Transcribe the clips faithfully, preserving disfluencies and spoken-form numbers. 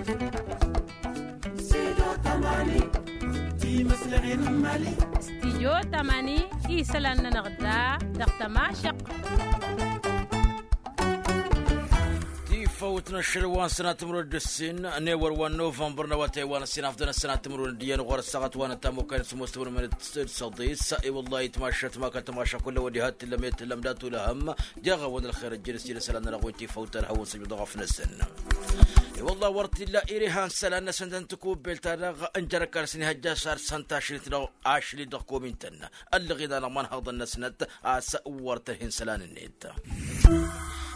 Studio tamani, isălan-nănăɣ da dăɣ-tămašăqq. Tifăwt n-ašăl wa n-sănat timǝrwen d-ǝssin n-ewăr wa n-novămbăr n-awătay wa n-ǝssin afḍăn ăssanat timǝrwen d-iyyăn ɣur-ăssaɣăt wa n-ătamokay n-sămoos timǝrwen d-săḍis. I-wăllah itmašăt ma kăl-tămašăqq kull ăwăddi ha t-tǝllăm i-tǝllăm dat-ulăhăm. Deɣ-awăn ălxer ăjjăn s-ila isălan-nănăɣ wi n-tifăwt ad-hawăn-săjdăɣ afnăsăn. I-wăllah wăr t-illa iri han isălan-năsăn tăn-tikubbelt-ta-dăɣ n-jer-ăkall s-inihăjja s-ad-săn tašrit dăɣ-ašli dăɣ-komin-tăn. Ăllăɣ-in-anăɣ imanhăḍăn-năsnăt a-s wăr tărha insălan-net.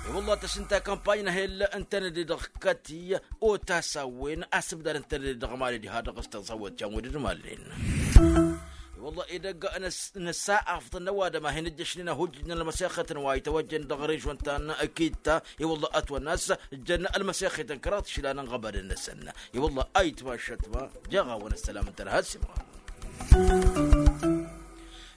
I-wălla tăsnăt akămpany n-ehel n-tenăde dăɣ-kăti otas a-wen asǝbdad n-tenăde dăɣ-mali diha dăɣ-s tăẓawăt jan wădăd mallen. I-wălla edăgg năsa afḍăn n-ăwadǝm a hin-ǝjjăšnen ahujjǝj n-ălmăsexăt n-wa itawăjjăn dăɣ-režon ta n-kitta. I-wălla ătwănna a-s jăn ălmăsexăt n-kăraḍ išilan n-iɣăbadăn-năsăn. I-wălla ayǝtmašăt ma jeɣ-awăn ăssălam n-tărha s-imɣa.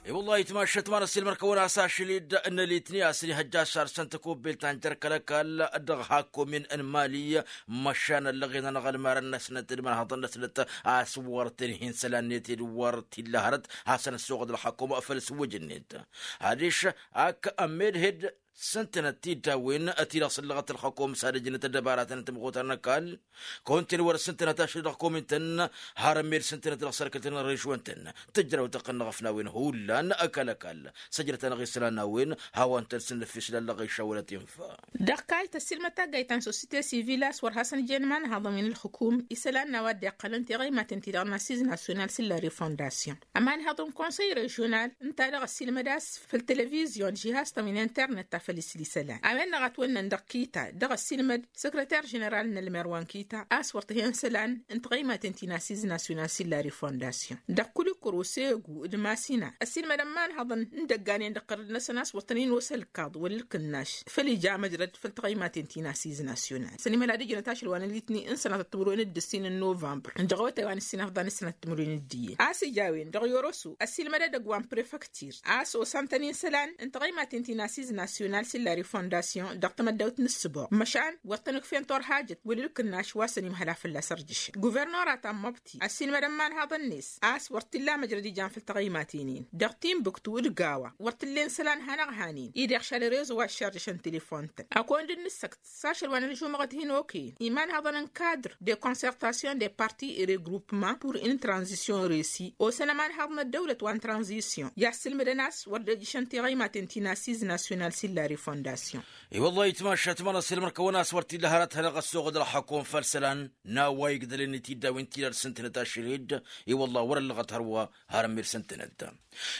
I-wălla ayǝtmašăt ma n-ăssiilmăr-kăwăn a-s ašăl-dd n-ălitni a-s inihăjja s-arsăn tăkubbelt ta n-jer-kăl-ăkall dăɣ-hakkomin n-mali. Măšan ăllăɣen-anăɣ ălmarăn-năsnăt d-imanhăḍăn-năsnăt a-s wăr tǝnhi n-isălan-net ed wăr t-illa hărăt hasăn-ăssoɣăd ălxakum făll-sǝwwǝj-net. Adiš ak ămmedhed s-ǝntănăt tiddawen ti-dăɣ sǝllăɣăt ălxakum s-ad-ǝjnăt ăddăbaratăn n-tămɣutar n-ăkall. Kăwăn-ten wăr-s ǝntănăt ašăl dăɣ-komin-tăn har ămmed s-ǝntănăt dăɣ-sărkǝl-tăn n-režwăn-tăn. Tǝjraw tăqqăn n-eɣăfnawen hullan ăkall-ăkall săjdăt-anăɣ isălan n-a-wen. Hawăn-tăn-sǝnnǝfis lăllăɣ išawălăt infa. Dăɣ-kayt ăssiilmăd taggayt ta n-sosite sivil a-s wăr hasăn-jen imanhăḍăn wi n-ǝlxǝkum isălan n-a-wa dd-iqqălăn tiɣăymaten-ti-dăɣ n-assiz nasyonal s-illa refondasyon. Ămanhăḍ n-konsăy režional ǝnta-dăɣ ăssiilmăd a-s făll-televizyon d-žihaz-tăn wi n-internet ta făll-isǝl isălan a-wen-dăɣ ătwănnăn dăɣ-kita dăɣ-ăssiilmăd săkrăter ženeral n-ălmer wa n-kita a-s wăr tǝhen isălan n-tiɣăymaten ti n-assiz nasyonal s-illa refondasyon dăɣ-kulikuru segu d-masina. Ăssiilmădăn imanhăḍăn n-idăgganen dăɣ-tărǝd-năsăn a-s wăr tăn-in-osa ălkaḍ wăla ǝlkǝnnaš făll-ija măjrăd făll-tiɣăymaten ti n-assiz nasyonal s-ănimăla d-ǝjnăt ašăl wa n-alitni n-sănatăt timǝrwen d-ǝssin n-novămbăr n-dăɣ-awătay wa n-ǝssin afḍăn ǝssănat timǝrwen d-iyyăn a-s ija a-wen dăɣ-yorosu ăssiilmăd edăgg wa n-prefăktir a-s osan-tăn-in isălan n-tiɣăymaten ti n-assiz nasyonal s-illa refondasyon dăɣ-tamăddawt n-ǝssǝboɣ măšan wăr tăn-ǝkfen torhajăt wăla ǝlkǝnnaš wa s-ănimhăla fălla-s ărjǝšăn guvernora ta n-măbti ăssiilmădăn imanhăḍăn-net a-s wăr t-illa măjrăd ijan făll-tiɣăymaten-in. Dăɣ-tinbǝktu d-gawa wăr t-ǝllen isălan hanăɣ-han-in-i deɣ šal rezo wa ǝššarjăšăn telefon-tăn a kăwăn-dd-nǝssăkt s-ašăl wa n-ălžumăɣăt hin-okăyăn imanhăḍăn n-kadr de concertation de parti regroupement pour une transition resi osăn ămanhăḍ n-ăddăwlăt wa n-transition i-assǝlmǝdăn a-s wăr dd-ejǝšăn tiɣăymaten ti n-assiz nasyonal s-illa refondasyon. I-wăllah itmašat ma n-ăssiilmăr-kăwăn a-s wăr t-illa hărăt hanăɣ-ăssoɣăd ălxăkum făll-isălan n-a-wa igdălăn i-tiddawen-ti-dăɣ s-ǝntănăt ašăl-dd. I-wăllah wăr-ăllăɣăt hărwa har ămir s-ǝntănăt.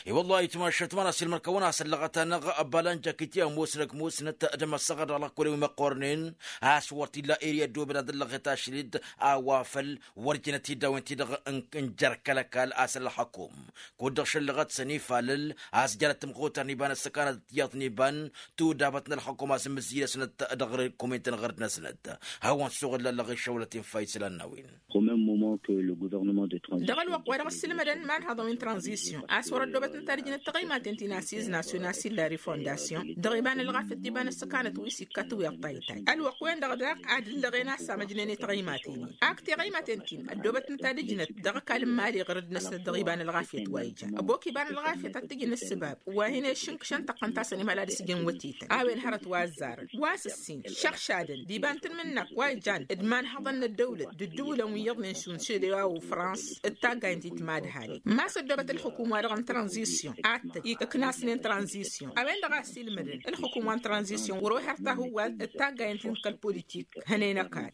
I-wăllah itmašat ma n-ăssiilmăr-kăwăn a-s ăllăɣăt-anăɣ ăbbalan jakitya musnăk musnăt d-măssăɣăr dăɣ-lăkkolăn wi măqqornen a-s wăr t-illa iri ăddooben ad-ăllăɣet ašăl-dd a-wa făll-wăr jănăt tiddawen-ti-dăɣ n-jer-kăl-ăkall a-s ălxăkum. Kud-dăɣ šăllăɣăt s-ănifalăl a-s jănăt tǝmɣutar n-iba n-ăssăkanăt tiyyăḍ n-iba n-tudabăt n-ălxăkum a-s ǝmmǝzzǝy-năsnăt dăɣ-komin-tăn ɣărd-năsnăt. Hawăn-suɣǝl lăllăɣ išăwlăt infa isălan n-a-wen. Au même moment que le gouvernement de transition dăɣ-ălwăqq wa dăɣ-ăssiilmădăn imanhăḍăn wi n-tranzisyon a-s wăr-ăddoobăt ǝnta d-ǝjnăt taɣăymaten ti n-assiz nasyonal s-illa refondasyon dăɣ-iba n-ălɣafyăt d-iba n-ăssăkanăt wi s-ikka tiwǝyăḍ taytay ălwăqq-wen-dăɣ daɣ ad-ǝllăɣen a-s amăjnăne taɣăymaten-in ak tiɣăymaten-tin ăddoobăt ǝnta d-ǝjnăt dăɣ-ăkall n-imali ɣărăd-năsnăt dăɣ-iba n-ălɣafyăt wa ijan ăbok iba n-ălɣafyăt ad-t-ǝjǝn ǝssǝbab wa hin-ešǝnkǝšăn tăqqăn ta s-ănimăla d-asǝjǝn wătetăn a-wen hărăt wa ăzzarăn wa s-ǝssin šăɣšadăn d-iba n-tanmǝnnak wa ijan d-imanhăḍăn n-ăddăwlăt d-ǝddǝwǝlăn wi iyyăḍnen šund šede wa ufrans d-taggayăn ti t-madhalen ma s-ăddoobăt ălxukum wa dăɣ-n tranzisyon ad-tăj ǝknasnen tranzisyon a-wen-dăɣ a ăssiilmădăn ălxukum wa n-tranzisyon wăr-ohăr tahǝwwalt d-taggayăn ti n-kăl-politik hănen ăkall.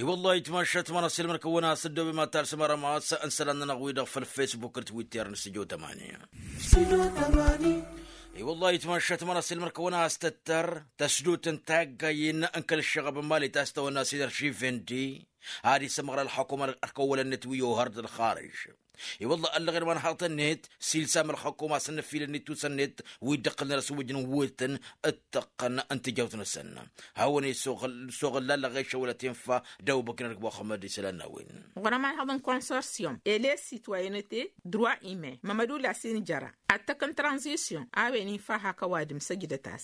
I-wăllah itmašat ma n-ăssiilmăr-kăwăn a-s ăddoobem ad-talsăm arămas n-isălan-nănăɣ-wi-dăɣ făll-facebook d-twitter n-studio tămani. I-wăllah itmašat ma n-ăssiilmăr-kăwăn a-s tăttăr tăsdut n-taggayen n-kăl-ăššăɣăb n-mali ta s-tawănna s-ederši vendi ad-isǝmɣăr ălxăkum ălkăwălăn-net wi ohăr d-ălxarǝž. I-wălla ăllăɣen imanhaḍăn-net s-ilsam ălxăkum a-s ănnăfilăn-net tusăn-net wi dd-ăqqălnen asǝwwǝjăn wetăn d-tăqqăn n-tijawt-năsăn. Hawăn-e s-oɣălla ălɣešăwălăt infa d-awbăknăr d-muxămmăd isălan n-a-wen. Ɣur-ămanhăḍ n-konsorsyum ele sitwayănăte drwa imen mămădula s-injăra ad-tăkk n-tranzisyon a-wen infa hak ăwadǝm săjdăt-as.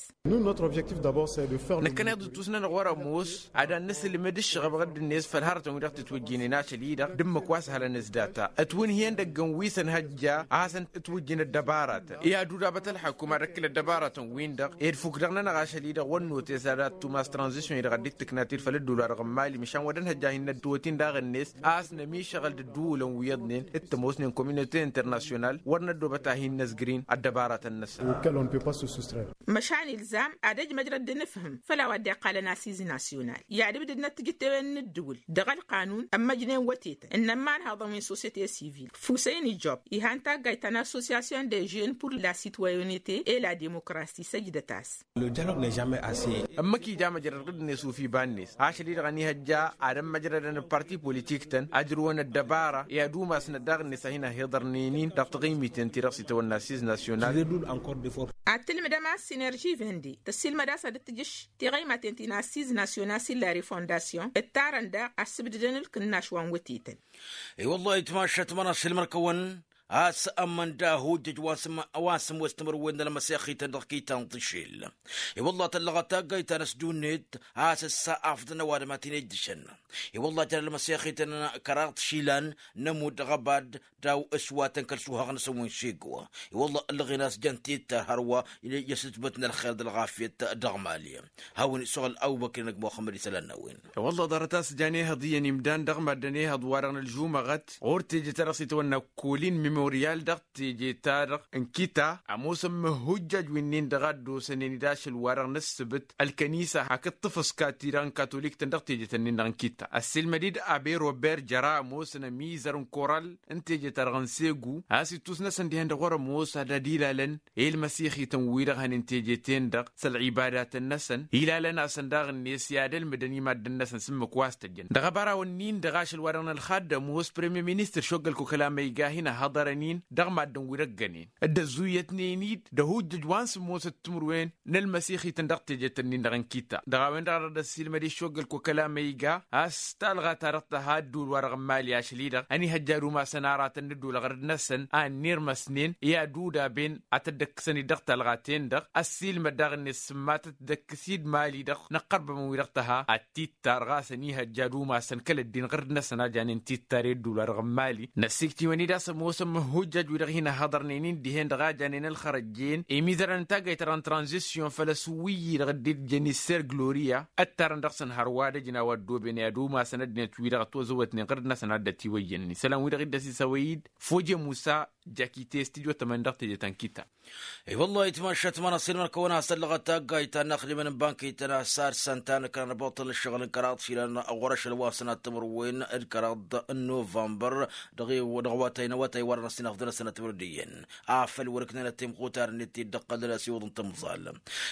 Nǝkkăneḍ d-tusnănăɣ wăr-ămoos ad-ad-nǝsǝlmǝd ǝššăɣăb ɣǝdd-net făll-hărătăn wi dăɣ-tǝtwǝjjǝynen ašăl-i-dăɣ d-ǝmmǝk wa s-hălăn s-data ătwǝnhǝyăn dăgg-n wi s-ănhăjja a hasăn-ǝtwǝjjǝn ăddăbaratăn i-ad-udabăt ălxăkum ad-ăkkǝl ăddăbaratăn-win-dăɣ ed fukdăɣ-nănăɣ ašăl-i-dăɣ wăr notes ad-ad-tumas tranzisyon-i-dăɣ ad-dd-tǝknat-dd făll-ădduul-wa-dăɣ n-mali măšan wăr dd-ănhăjja ad-hin-năddǝwăt-in daɣ-net a-s nămišăɣăl d-ǝddǝwǝlăn wi iyyăḍnen d-tămoosnen kominote internasyonal wăr năddoobăt ad-hin-năzgǝr-in ăddăbaratăn-năsăn. Măšan ilzam ad-ăj măjrăd d-inǝfhǝm făll-a-wa dd-iqqalăn asiz nasyonal i-ad-ǝbdǝdnăt tijǝttewen n-ǝddǝwǝl dăɣ-ălqanun ămmăjnen wătetăn ǝnnăn imanhaḍăn wi n-sosyete sivil fusăyni job ihan taggayt ta n-associasyon de jeune pur la sitwayonete e la demokrasi săjdăt-as. Ǝmmǝk ija măjrăd ɣǝdd-net ufi iba-net ašăl-i-dăɣ ănihăjja ad-ămmăjrădăn d-parti politik-tăn ăjrǝwăn ăddăbara i-ad-umasnăt daɣ-net a hin-ăhiḍărnen-in dăɣ-taɣimiten-ti-dăɣ s-itawănna asiz nasyonal. Ad-tǝlmǝdăm a-s sinerži vende tăssiilmăd a-s ad-dd-tǝjǝš tiɣăymaten ti n-asiz nasyonal s-illa refondasyon ǝttarăn daɣ a ǝssǝbdǝdăn ǝlkǝnnaš wa n-wătetăn. I-wăllah itmašat mănăssilmăr-kăwăn a-s ămmănda hujjăj wa n-sǝmmos timǝrwen n-ălmăsixităn dăɣ-kitan tišil. I-wăllah tăllăɣăt taggayt ta n-ăsdunnet a-s ǝssa afḍăn ăwadǝm a t-in-ejjǝšăn. I-wăllah jăr ălmăsixităn kăraḍ tišilan n-ămudd ɣăbad daw-s wa tăn-kăl-suhăɣ-năsăn wi n-šegwa. I-wăllah ǝllăɣen a-s jăn tittar hărwa i-ăsǝtbăt n-ălxer d-ălɣafyăt dăɣ-mali. Hawăn-isuɣǝl awbăkri n-ăgg muxămmăd isălan n-a-wen. Wălla ḍarăt a-s jan ehăḍ iyyăn imdan dăɣ-maddăn ehăḍ-wa-dăɣ n-ălžumăɣăt ɣur-teje-ta-dăɣ s-itawănna kolin memoryal dăɣ-teje-ta-dăɣ n-kita ămoosăn măhhujjaj wi-nin-dăɣ a dd-osănen-dd ašăl-wa-dăɣ n-ǝssǝbǝt ălkănisa hakd tafǝska-ti-dăɣ n-katolik-tăn dăɣ-teje-tăn-in-dăɣ n-kita. Ăssiilmăd-dd abe robert jăra ămoosăn ămizăr n-koral n-teje-ta-dăɣ n-segu a-s ittus-năsăn dihen-dăɣ wăr-ămoos ad-dd-ilalăn i-ălmăsixităn wi-dăɣ hănen teje-ten-dăɣ s-ălɣibadatăn-năsăn ilalăn-asăn daɣ-net i-ad-ălmǝdăn i-maddǝn-năsăn s-ǝmmǝk wa s-tăjjăn dăɣ-abaraw-ǝnnin-dăɣ ašăl-wa-dăɣ n-ălxaddăm ămoos premye ministăr šoggăl kokăla ma iga a hin-ăhhăḍărăn-in dăɣ-maddǝn wi dăggănen dd-ăzzuyyătnen-dd d-ahujjăj wa n-sǝmmosăt timǝrwen n-ălmăsixităn dăɣ-tejet-ǝnnin-dăɣ n-kitta. Dăɣ-a-wen-dăɣ a dăɣ-dd-ăssiilmăd iššoggăl kokăla ma iga a-s talɣa-ta-dăɣ tăha ădduul-wa-dăɣ n-mali ašăl-i-dăɣ ănihăjja ad-umasăn aratăn n-ădduul ăɣrǝd-năsăn a ănnirmăsnen i-ad-udaben ad-tădd-ăkkǝsăn-dd dăɣ-talɣa-ten-dăɣ. Ăssiilmăd daɣ-net sǝmmatăt d-ăkkǝs-dd mali-dăɣ n-ăqqărbămăn-wi-dăɣ tăha ad-tittar ɣas ănihăjja ad-umasăn kăl-ăddin ɣǝrǝd-năsăn a janen tittar i-ădduul-wa-dăɣ n-mali. Năssiktǝwăn-dd a-s ămoosăn măhhujjaj-wi-dăɣ hin-ăhhăḍărnen-in dihen-dăɣ a janen ălxărăjjen imizărăn n-taggayt-ta-dăɣ n-tranzisyon făll-asǝwwǝyyi-dăɣ dd-ijjăn isser gloria ăttarăn dăɣ-săn hărwa ad-ăjnaw ăddooben i-ad-umasăn ăddinăt-wi-dăɣ ătwăzăwătnen ɣǝrǝd-năsăn a dd-ătiwăyyănnen isălan-wi-dăɣ dd-ăsisăwăy-dd foje musa. Jakite s-tijotămăn dăɣ-teje ta n-kita. I-wăllah itmašat mănăssin măr-kăwăn-has tăllăɣăt taggayt ta n-inaxdimăn n-bankităn a-s ad-săn ta n-ǝkran ăboṭṭăl n-ǝššăɣǝl n-kăraḍ išilan ɣur-ašăl wa săn ad-timǝrwen d-kăraḍ n-novămbăr. Dăɣ-i dăɣ-awătay n-awătay wa dăɣ-năssin afḍăn ad-săn ad-timǝrwen d-iyyăn afăl wăr-ǝknănăt timxutar-net ti dd-ăqqălăn a-s iwǝḍ n-tamẓal.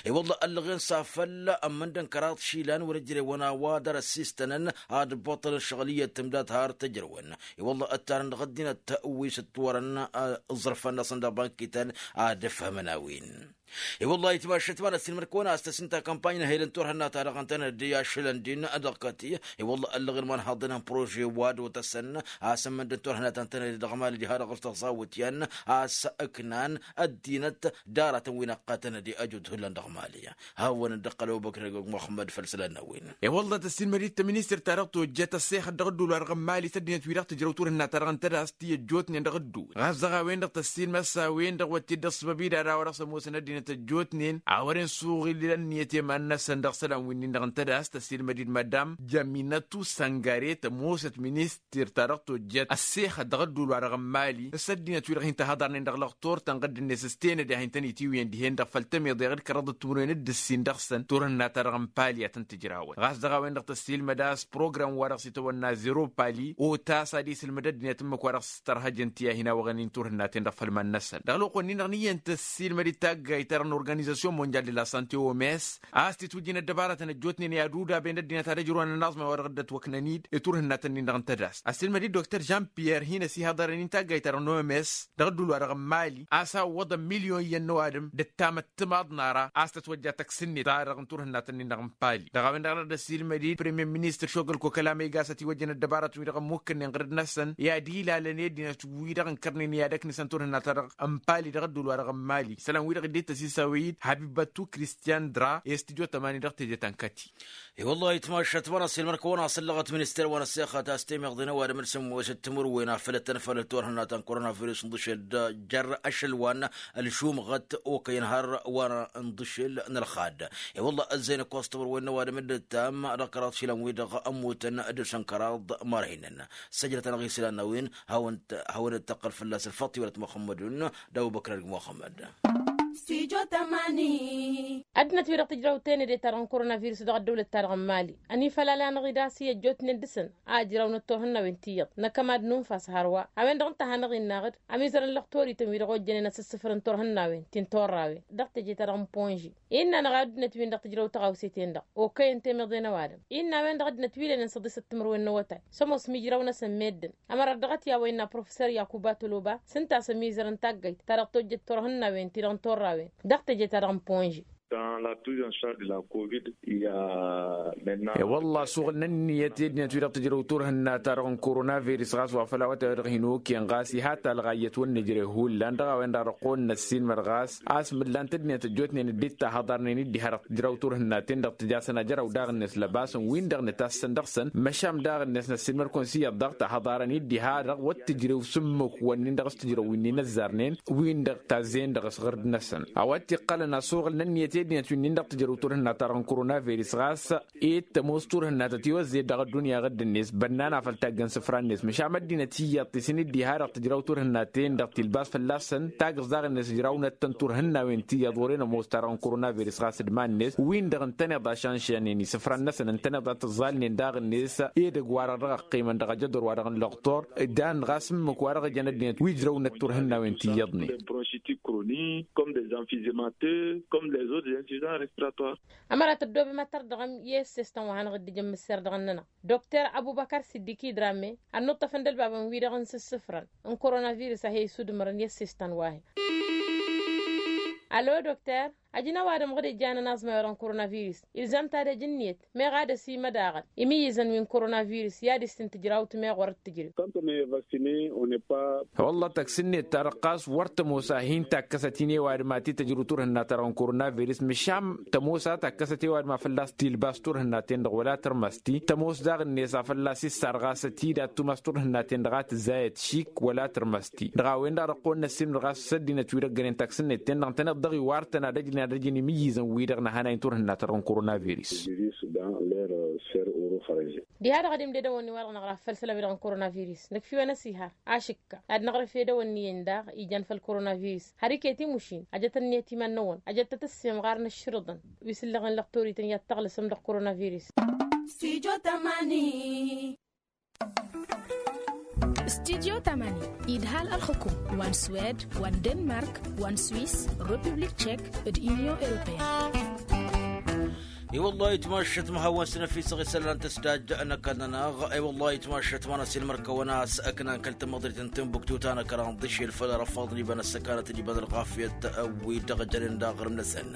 I-wăllah ăllăɣen s-afăl ămmăndăn kăraḍ išilan wăr-ǝjrewăn a-wa dăr-ăssistănăn ad-ăbboṭṭălăn ǝššăɣǝl iyyăt tǝmdat har t-ǝjrewăn. I-wăllah ăttarăn dăɣ-ăddinăt wi s-ǝttwărăn ǝẓrǝfan-năsăn dăɣ-bankităn ad-ǝfhămăn a-wen. I-wăllah itmašat manăssin măr-kăwăn-has tăssin takămpany n-ehel n-turhǝnna-ta-dăɣ ǝntănăt-dd i-ašălăn din dăɣ-kăti. I-wăllah ăllăɣen imanhăḍăn n-prože wa d-otăsăn a-s ămmăndăn turhǝnna ta ǝntănăt-dd dăɣ-mali diha-dăɣ s-tăẓawǝt i-ad-nǝknan ăddinăt d-aratăn wi n-ăqqătăn d-ejut hullan dăɣ-mali. Hawăn-dd-ăqqăl ăbubăkr ăgg muxămmăd făll-isălan n-a-wen. I-wălla tăssiilmăd-dd tăministărt-ta-dăɣ tojjăt ăssexăt dăɣ-ădduul wa dăɣ-n mali s-ăddinăt wi-dăɣ tǝjrăw turhǝnna-ta-dăɣ n-tădast ti ăjjootnen dăɣ-ădduul ɣas dăɣ-a-wen-dăɣ tăssiilmăd s-a-wen-dăɣ wăr t-dd-ăṣṣăbăb-dd ad-a-wa dăɣ-s ămoosăn ăddinăt ăjjootnen a wăren suɣǝl ănniyăt i-iman-năsăn dăɣ-isălan wi-nin-dăɣ n-tădast tăssiilmăd-dd madam jaminătu săngare tămoosăt minis tir-ta-dăɣ tojjăt ăssexăt dăɣ-ădduul wa dăɣ-n mali s-ăddinăt wi-dăɣ hin-tăhăḍarnen dăɣ-lăxtur tănɣǝd-net s-tenăde a hin-tăn-itiwǝyăn dihen-dăɣ făll-tămiḍe d-kăraḍăt timǝrwen d-ǝssin dăɣ-săn turhǝnna-ta-dăɣ n-pali a tăn-tǝjrawăn ɣas dăɣ-a-wen-dăɣ tăssiilmăd a-s program wa dăɣ-s itawănna zero pali otas ad-isǝlmǝd ăddinăt ǝmmǝk wa dăɣ-s tărhăjăn ti a hin-awăɣăn-in turhǝnna-ten-dăɣ făll-iman-năsăn dăɣ-lăwăqq-wen-in-dăɣ n-iyyăn tăssiilmăd-dd taggayt Tărăn organizasyon mondyal de la sante oms a-s titwǝjjin ăddăbarătăn ăjjootnen i-ad-udaben ăddinăt ad-ăjrăwăn ănaẓmay wa dăɣ-dd-ătwăknăn-dd i-turhǝnnaten-nin-dăɣ n-tădast ăssiilmăd-dd dokter žan-piyer hin-ăsihaḍărăn-in taggayt-ta-dăɣ n-oms dăɣ-ădduul-wa-dăɣ n-mali a-s a ǝwwăḍăn milyon iyyăn n-ăwadǝm d-ăttam ăttămaḍ n-ara a-s tătwăjja tăksǝnnet-ta-dăɣ n-turhǝnnaten-nin-dăɣ n-pali. Dăɣ-a-wen-dăɣ dăɣ-dd-ăssiilmăd-dd premiyer ministăr šogăl kokăl amăygas ătiwăjjăn ăddăbarătăn-wi-dăɣ ămmukkănnen ɣǝrǝd-năsăn i-ad-ilalăn i-ăddinăt-wi-dăɣ ǝnkărnen i-ad-ăknǝsăn turhǝnna-ta-dăɣ n-pali dăɣ-ădduul-wa-dăɣ n-mali isălan wi-dăɣ dd-ittăs isawăy-dd habibatu kristiyan dra i-studyo tămani dăɣ-teje ta n-kăti. I-wăllah itmašat măra s-ilmăr-kăwăn-asăllăɣăt minister wa n-ăssexăt a-s temeḍe n-ăwadǝm d-sǝmmosăt timǝrwen a făl ăttănfălăt turhǝnna ta n-koronavirus n-dăšel d-jer-ašăl wa n-ălšumăɣăt okăyăn har wa n-dăšel n-ălxad. I-wăllah ăzzăynăk wa s-timǝrwen n-ăwadǝm d-ǝttam dăɣ-kăraḍ išilan-wi-dăɣ ămmutăn d-săn kăraḍ mărhinăn. Săjdăt-anăɣ islan n-a-wen hawăn-dd-tăqqăl fălla-s ălfaḍt tiwălăt muxămmădun d-abubăkr ălg muxămmăd. Ăddinăt-wi-dăɣ tǝjrăwt tenăde-ta-dăɣ n-koronavirus dăɣ-ăddăwlăt-ta-dăɣ n-mali ănifălal-anăɣ-dd a-s iyyăt jotnen dăɣ-săn a ǝjrăwnăt turhǝnnawen tiyyăḍ n-akămad n-unfas hărwa. A-wen-dăɣ ǝnta a hanăɣ-innă aɣǝd ămizărăn lăxtorităn-wi-dăɣ ojjănen asǝssǝfrǝn turhǝnnawen ti n-turrawen dăɣ-teje-ta-dăɣ n-ponži. Innă-anăɣ ad-dd-năt win-dăɣ tǝjrăw tăɣawse-ten-dăɣ okăyăn temeḍe n-ăwadǝm. Innă a-wen-dăɣ ăddinăt wi lenăn săḍisăt timǝrwen n-awătay s-ămoos mijraw-năsăn meddǝn. Ămărat dăɣ-t i-a-wa innă professor yakuba toloba s-ǝnta a-s ămizărăn taggayt ta dăɣ-tojjăt turhǝnnawen ti-dăɣ n-turrawen dăɣ-teje-ta-dăɣ n-ponži. Dans la prise en charge de la covid il ya maintenant. E-wălla-s uɣǝl n-ǝnniyăt i-ăddinăt wi-dăɣ tǝjrăw turhǝnna-ta-dăɣ n-koronavirus ɣas wa făl awătay-wa-dăɣ hin-okăyăn ɣas iha talɣa iyyăt wăr nǝjreh hullan dăɣ-a-wen-dăɣ dăɣ-kăwăn-năssiinmăd ɣas a-s mǝllan-t ăddinăt ăjjootnen dd-tahăḍarnen dd-iha dăɣ-tǝjraw turhǝnnaten-dăɣ tǝja a-s ănajăraw daɣ-net lăbasăn win-dăɣ nǝtassăn dăɣ-săn măšan daɣ-net năssiinmăd-kăwăn s-iyyăḍ dăɣ-tahăḍarăn dd-iha dăɣ-wăr tǝjrew s-ǝmmǝk-wăn-nin-dăɣ s-tǝjrăwin-in ăzzarnen win-dăɣ tazzen dăɣ-s ɣǝrd-năsăn. A-wa t-iqqălăn asuɣǝl n-ǝnniyăt i-ăddinăt wi-nin-dăɣ tǝjrăw turhǝnna-ta-dăɣ n-koronavirus ɣas e-d tămoos turhǝnna ta tiwăzzeyăt dăɣ-ăddunya ɣǝdd-net bănnan a făl taggăn isǝfra-net măšan ăddinăt iyyăḍ ti s-in-dd-iha dăɣ-tǝjraw turhǝnna-ten-dăɣ tilbas fălla-săn tagǝẓ daɣ-net ǝjrawnăt-tăn turhǝnnawen ti iyyăḍ wăren ămoos-ta-dăɣ n-koronavirus ɣas d-iman-net win-dăɣ ǝntăneḍ a šanšănen isǝfran-năsăn ǝntăneḍ a tǝẓẓalnen daɣ-net edăgg-wa-dăɣ dăɣ-ăqqimăn dăɣ-ajădor-wa-dăɣ n-lăɣtor dan ɣas ǝmmǝk wa dăɣ-ǝjăn ăddinăt wi ǝjrăwnăt turhǝnnawen ti iyyăḍnen. Bronchitique chronique comme des emphysèmateux comme les autres insuffisants respiratoires. Ămăra tăddoobem ad-tărdăɣăm i-ăssestăn wa hanăɣ-dd-ijăn mǝsser dăɣ-ănnănăɣ dokter abubăkar siddiki dramme ănnuṭṭăfăn d-ălbabăn-wi-dăɣ n-sǝssǝfrăn n-koronavirus a he-isudǝmărăn i-ăssestăn wa-he. Alo dokter. Ajǝn ăwadǝm ɣǝd ijjanăn aẓmay wa dăɣ-n koronavirus ilzam-t ad-ăj ǝnniyăt meɣ ad-ăsimăd aɣăl imǝyyǝzăn wi n-koronavirus i-ad-issǝn tǝjrawt meɣ wăr-dd-tǝjrew. Wălla tăks-net-ta-dăɣ ɣas wăr tămoos a hin-takkăsăt-in i-ăwadǝm ad-t-dd-tăjr turhǝnna-ta-dăɣ n-koronavirus măšan tămoos a takkăsăt i-ăwadǝm a fălla-s tilbas turhǝnna-ten-dăɣ wăla tărmăsti tămoos daɣ-net a fălla-s issar ɣas ătida ad-tumas turhǝnna-ten-dăɣ a tǝzzayăt šik wăla tărmăsti. Dăɣ-a-wen-dăɣ dăɣ-kăwăn-năssimnăɣ a-s ăddinăt-wi-dăɣ gănen taksǝnnet-ten-dăɣ ǝntăneḍ dăɣ-iwar-tăn ad-ăjnen ad-ăjnen imǝyyǝzăn-wi-dăɣ nǝhănay n-turhǝnna-ta-dăɣ n-koronavirus. Diha-dăɣ ad-imded ăwănni-wa-dăɣ năɣraf făll-isălan-wi-dăɣ n-koronavirus nǝkf'-iwăn ăsihar ašǝkka ad-năɣrǝf ed ăwănni-en daɣ ijan făll-koronavirus har iket imušin ajăt ănniyăt iman-năwăn ajăt-tăt ǝssimɣarăn ǝššǝrǝḍăn wi s-ǝllăɣen lăɣtorităn i-ad-tăɣlǝsăm dăɣ-koronavirus. Studyo tămani. Studyo tămani idhal ălxǝkum wa n-swed wa n-denmark wa n-swis, republik tšek, d-inyon europeyăn. I-wăllah itmašăt măhawăn s-năfisăɣ isălan tăsdaj n-ăkall-nănăɣ. I-wăllah itmašăt ma n-asilmăr-kăwăn a-s ǝknan kăl-tamăḍrit n-timbuktu ta n-ăkraḍ d-ašel făll-răfaḍ n-iba n-ăssăkanăt d-iba n-ălɣafyăt wi-dăɣ jănen d-aɣrǝm-năsăn.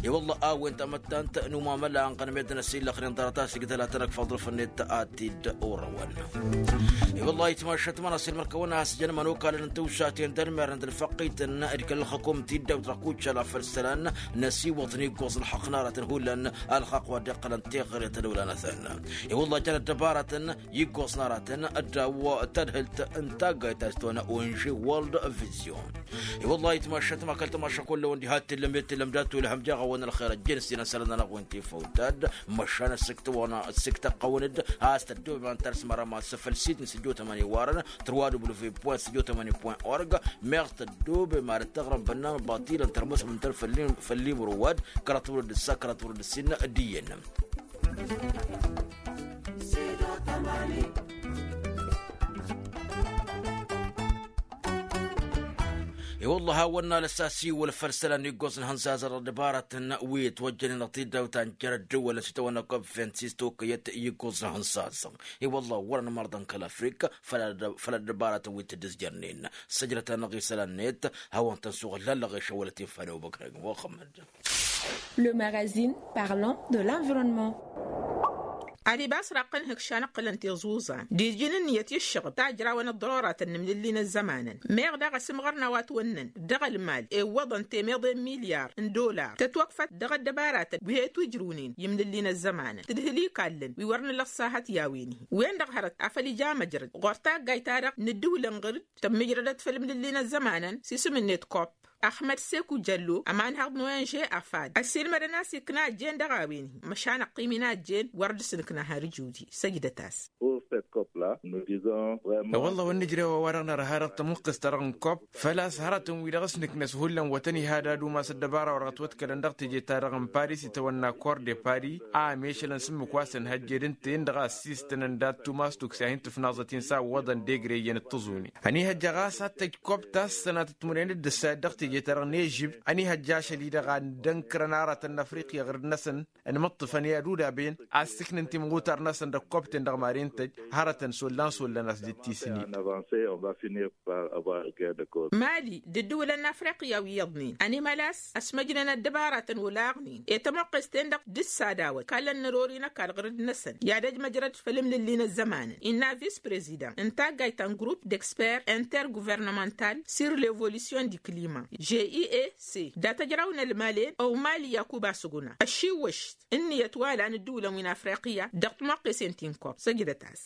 I-wăllah a-wen tamăttant n-umamăla ănɣănăm ed năsillăxnen ḍarăt a-s igdăl ad-tăn-ăkfaḍ d-afănnet ad-t-dd-orăwăn. I-wăllah itmašăt ma n-asilmăr-kăwăn a-s jăn imănokalăn n-tiwsaten d-ănmerăn d-ălfăqqităn d-kăl-ălxǝkum ti dd-awt dăɣ-kuccal a făl isălan năsiwăḍ n-iggoẓ ălxaqq n-aratăn hullan ălxaqq wa dd-iqqălăn tixret ălwăla-năsăn. I-wăllah jăn ăddăbarătăn iggoẓ n-aratăn ăddaw tadhǝlt n-taggayt ta s-tăwănna onže world vision. I-wăllah itmašăt ma kăl-tamaša kullăwăn diha t-illăm i-t-illăm dat-wăl ihăm jaɣ-awăn ălxer ăjjeen s-inăsălăn-anăɣ wen tifăw tad măšan ăssǝktăwăn ăssǝktăqqăwăn-dd a-s tăddoobem ad-tărsmăr ămass făll-sit n-sǝjjo tămani warăn trwadublu vipwent sǝjjo tămani pwent org. Meɣ tăddoobem ad-dd-tăɣrăm bănnan batilăn tărmăsăm n-tăn făll-imrǝwad kăraḍ wăr dd-ǝssa kăraḍ wăr dd-ǝssin d-iyyăn. I-wălla hawăn-nalăs asiwăl făll-isălan iggoẓ n-hănzazăr d-ăbaratăn wi ătwăjjănen dăɣ-tiddawt ta n-jer-ăddǝwălăn s-itawănna kobfent s-tokăyăt iggoẓ n-hănzazăr. I-wălla wărăn mărḍăn kăl-afrika făll-ăddăbaratăn wi t-dd-ǝzjărnen. Săjdăt-anăɣ isălan-net hawăn-tăn-suɣǝllallăɣ i-šăwălăt infa n-ewăbăkrăg muxămmăd. Le magazine parlant de l'environnement. Ad-ibas raqqăn hǝkšan ǝqqǝlăn tiẓuẓan d-iji n-ǝnniyăt i-ǝššăɣǝb tajrawăn ăḍḍăroratăn n-imlǝlli n-ăzzămanăn. Meɣ daɣ ăsǝmɣărna wa t-wănnăn dăɣ-ălmal iwwăḍăn temeḍe n-milyar n-dollar tătwăkfăt dăɣ-ăddăbaratăn wi he-tujrǝwnen i-imlǝlli n-ăzzămanăn tǝdhǝl ikallăn wi wăr nǝllăṣṣahăt i-a-wen-hi. Wen-dăɣ hărăt afăl ija măjrăd ɣur-taggayt-ta-dăɣ n-ǝddǝwǝlăn ɣǝr-dd tămmǝjrădăt făll-imlǝlli n-ăzzămanăn s-isǝm-net kop. Ăxmăd seku jăllo ămanhăḍ n-oenže afad ăssiilmădăn a-s ikna ăjjeen dăɣ-a-wen-hi măšan ăqqim-in a ăjjeen wăr dd-sǝnǝkna har ǝjudi. Săjdăt-as. I-wălla wăr nǝjrew a-wa-dăɣ nărha dăɣ-tămuqqǝst-ta-dăɣ n-kop făl-a-s hărătăn-wi-dăɣ s-nǝknăs hullan wătăn ihad ad-umas ăddăbara wa dăɣ-ătwătkălăn dăɣ-teje-ta-dăɣ n-paris itawănna kor de paris a ămešălăn s-ǝmmǝk wa săn hăjjed ǝnta-en-dăɣ a ăssiistănăn dat-tumas tuksa hin-tǝfnaẓăt-in s-a ǝwwăḍăn degre iyyăn d-tǝẓuni. Ănihăjja ɣas ad-tăj kop ta s-sănatăt timǝrwen d-ǝssa dăɣ-teje-ta-dăɣ n-ežǝb ănihăjja ašăl-i-dăɣ a dd-ănkărăn aratăn n-afriqya ɣǝr-năsăn ănmǝṭṭǝfăn i-ad-udaben a ǝssǝknăn timɣutar-năsăn dăɣ-kop-ten-dăɣ maren tăj hărătăn s-ollan s-ollan a-s dd-tisǝnnin. Mali d-ǝddǝwǝlăn n-afriqya wi iyyăḍnen ănimălas ăsmăjnen ăddăbaratăn olaɣnen i-tămoqqes-ten-dăɣ d-ǝssa d-a-wăt kallăn n-ărori n-ăkall ɣǝr-dd-năsăn i-ad-ăj măjrăd făll-imlǝlli n-ăzzămanăn innă vis-prezidant n-taggayt ta n-grupp d-expert interguvernămăntal sur l'evolution du climat g i e c dat-ăjraw n-ălmalen ăwmali yakuba suguna ăššiwwăš ǝnniyăt wa lan ǝddǝwǝlăn wi n-afriqya dăɣ-timoqqesen ti n-kop. Săjdăt-as.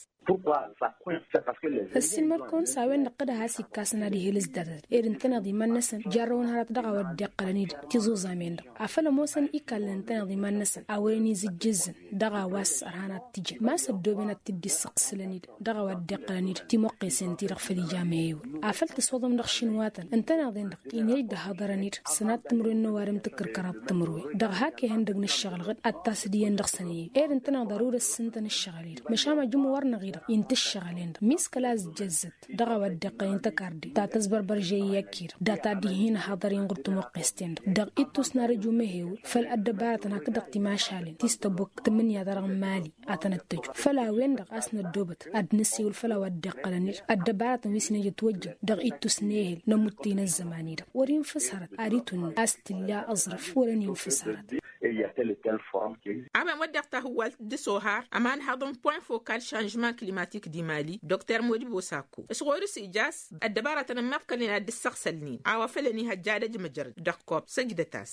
Ăssiilmăd-kăwăn s-a-wen-dăɣ tăd-has-ikkasăn ad-ihel s-datăt ed ǝntăneḍ iman-năsăn jarrăwăn hărăt dăɣ-a-wa dd-iqqălăn-dd tiẓuẓam-en-dăɣ afăl ămoosăn ikallăn ǝntăneḍ iman-năsăn a wărăn izǝjjǝzzǝn dăɣ-a-wa s-ărhan ad-t-ijăn ma s-ăddooben ad-t-dd-issăɣ s-lăn-dd dăɣ-a-wa dd-iqqălăn-dd timoqqesen-ti-dăɣ făll-ija mehewăl afăl tǝswăḍăm dăɣ-išinwatăn ǝntăneḍ-en-dăɣ inăj d-ăhaḍărăn-dd sănat timǝrwen n-ăwadǝm tǝkkǝrkăraḍ timǝrwen dăɣ-hak ehăn dăgg-nǝššăɣǝl ɣǝd ad-tasǝd iyyăn dăɣ-săn-i ed ǝntăneḍ ărud ăssintăn ǝššăɣǝl-i-dăɣ măšan ma jǝmm-wăr-năɣ-i-dăɣ intǝššăɣǝl-en-dăɣ miss kăla ăzjăzzăt dăɣ-a-wa dd-iqqălăn tăkarde ta tăzbărbăr žăyy i-akki-dăɣ data dd-hin-ăhaḍăr-in ɣur-tămoqqes-ten-dăɣ dăɣ-ittus n-ad-ăju mehewăl făll-ăddăbaratăn hakd-dăɣ timašalen ti s-tăbok tǝmmǝnǝya-ta-dăɣ n-mali ad-tăn-ăttăju făll-a-wen-dăɣ a-s năddoobăt ad-nǝssewǝl făll-a-wa dd-iqqălăn-dd ăddăbaratăn wi s-inǝjǝt wăjjăn dăɣ-ittus n-ehel n-ămuttăy n-ăzzăman-i-dăɣ wăr-infǝs hărăt ad-itunnǝy a-s t-illa aẓrǝf wăr-ăninfǝs hărăt. A-wen wădden tahǝwwalt d-sohar ămanhăḍ n-point focal šanžman klimatik di mali dr modibo sako s-ɣur-s ija a-s ăddăbaratăn ămmiḍkălnen ad-dd-ǝssăɣsălnen a-wa făl ănihăjja ad-ăj măjrăd dăɣ-kop. Săjdăt-as.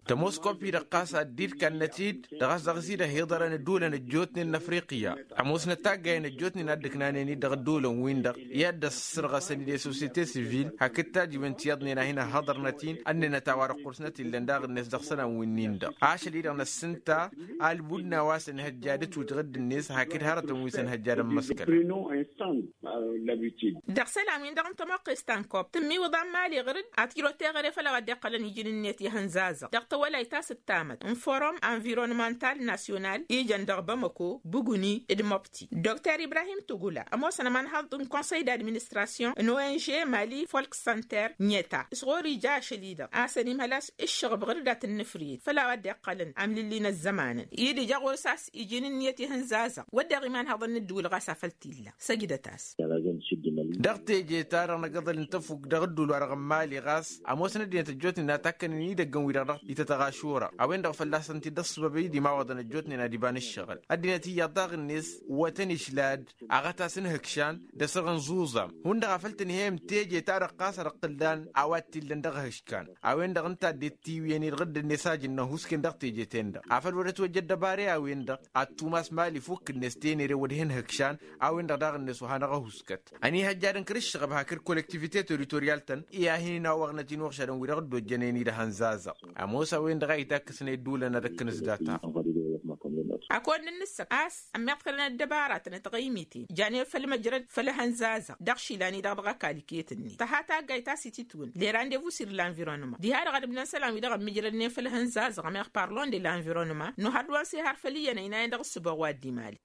Tămoos kop-i-dăɣ ɣas ad-dd-kannăt-dd dăɣ-a-s dăɣ-s-i-dăɣ hiḍărăn ădduulăn ăjjootnen n-afriqya ămoosnăt taggayen ăjjootnen a dd-ǝknanen-dd dăɣ-ădduulăn-win-dăɣ i-ad-dd-ăssărɣăsăn d-e-societe sivil hakd tajiwen ti iyyăḍnen a hin-ăhhăḍărnăt-in ănnenăt a-wa-dăɣ ɣur-snăt illăn daɣ-net dăɣ-isălan winnin-dăɣ ašăl-i-dăɣ năssǝnta almud n-a-wa s-ănhăjja d-ǝtwǝj ɣǝdd-net hakd hărătăn wi s-ănhăjja d-ămmăskălăn. Dăɣ-isălan-win-dăɣ n-tămoqqes ta n-kop tǝmmiwǝḍa n-mali ɣǝr-dd ad-t-ǝjrăw teɣăre făll-a-wa dd-iqqălăn iji n-ǝnniyăt i-ihănzazăɣ dăɣ-tawălayt ta s-ǝttamăt n-forum anvironămantal nasyonal ijăn dăɣ-bamăko bǝguni d-mobti. Dr ibrahim tugula ămoosăn ămanhăḍ n-konsăy d-administrasyon n-ong mali folk center n-eta s-ɣur-ija ašăl-i-dăɣ a-s ănimhăl a-s ǝššăɣăb ɣǝr-dd ad-t-nǝfrǝyăt făll-a-wa dd-iqqălăn amlǝlli n-ăzzămanăn i-dd-ija ɣur-s a-s iji n-ǝnniyăt ihănzazăɣ wădden imanhăḍăn n-ǝddǝwǝl ɣas afăl t-illa. Săjdăt-as. Dăɣ-teje-ta-dăɣ n-agǝḍăl n-tăfuk dăɣ-ǝddul wa-dăɣ n-mali ɣas ămoosăn ăddinăt ăjjootnen ad-takkănen idăggăn-wi-dăɣ dăɣ-itătăɣ ašura a-wen-dăɣ fălla-săn t-dd-ăṣṣăbăb i-dd-imawaḍăn ăjjootnen ad-iba n-ǝššăɣǝl ăddinăt iyyăḍ daɣ-net wătăn išlad aɣătas n-hǝkšan d-asăɣ n-zuẓam hundăɣ a făl tǝnhăyăm teje-ta-dăɣ ɣas ad-ăqqǝllan a-wa t-illăn dăɣ-hǝškan a-wen-dăɣ ǝnta dd-tiwǝyăn-i-dăɣ dd-ănnes a jǝnnăhusken dăɣ-teje-ten-dăɣ afăl wăr-ătwăjja ăddăbare a-wen-dăɣ ad-tumas mali fukk-net tenere wăr hin-hǝkšan a-wen-dăɣ daɣ-net oha n-aɣăhuskăt ănihăjja d-ǝnkăr ǝššăɣăb hakd kolektivite teritorial-tăn i-ad-hin-inawăɣnăt-in uɣšadăn wi-dăɣ dd-ojjănen-i d-ehăn zazăɣ ămoos a-wen-dăɣ a itakk s-năy dd-ulăn ad-ăkkăn s-data. Ad-kăwăn-dd-nǝssăɣ a-s ămmiḍkălăn ăddăbaratăn d-tiɣăymiten janen făll-măjrăd făll-ehăn zazăɣ dăɣ-išilan-i-dăɣ dăɣ-ăkall iket-net tăha taggayt a-s ititwǝn leran devusir l-anvironăma diha-dăɣ ad-ǝbnăn isălan-wi-dăɣ ămmijrădnen făll-ehăn zazăɣ ămeɣ parlon de l-anvironăma n-ohăr d-wa n-sehar făll-iyyăn ăynayăn dăɣ-ǝssǝboɣ wa dd-imali.